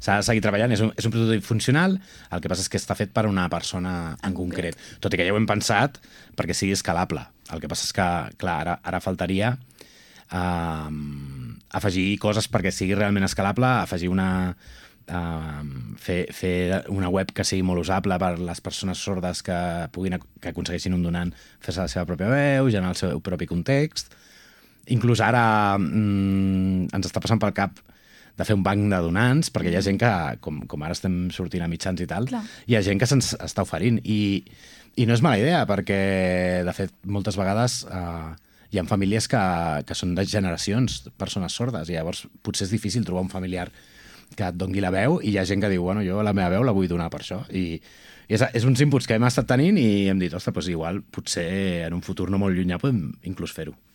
s'ha de seguir treballant, és un prototip funcional, el que passa és que està fet per una persona en concret. Tot i que ja ho hem pensat perquè sigui escalable. El que passa és que, clar, ara faltaria afegir coses perquè sigui realment escalable, afegir fer una web que sigui molt usable per les persones sordes que aconsegueixin un donant fer-se la seva pròpia veu, generar el seu propi context. Inclús ara ens està passant pel cap de fer un banc de donants, perquè hi ha gent que, com ara estem sortint a mitjans i tal, hi ha gent que se'ns està oferint. I no és mala idea, perquè, de fet, moltes vegades hi ha famílies que són de generacions, persones sordes, i llavors potser és difícil trobar un familiar que et doni la veu, i hi ha gent que diu, bueno, jo la meva veu la vull donar per això. I és uns inputs que hem estat tenint i hem dit, ostres, doncs igual, potser en un futur no molt llunyà podem inclús fer-ho.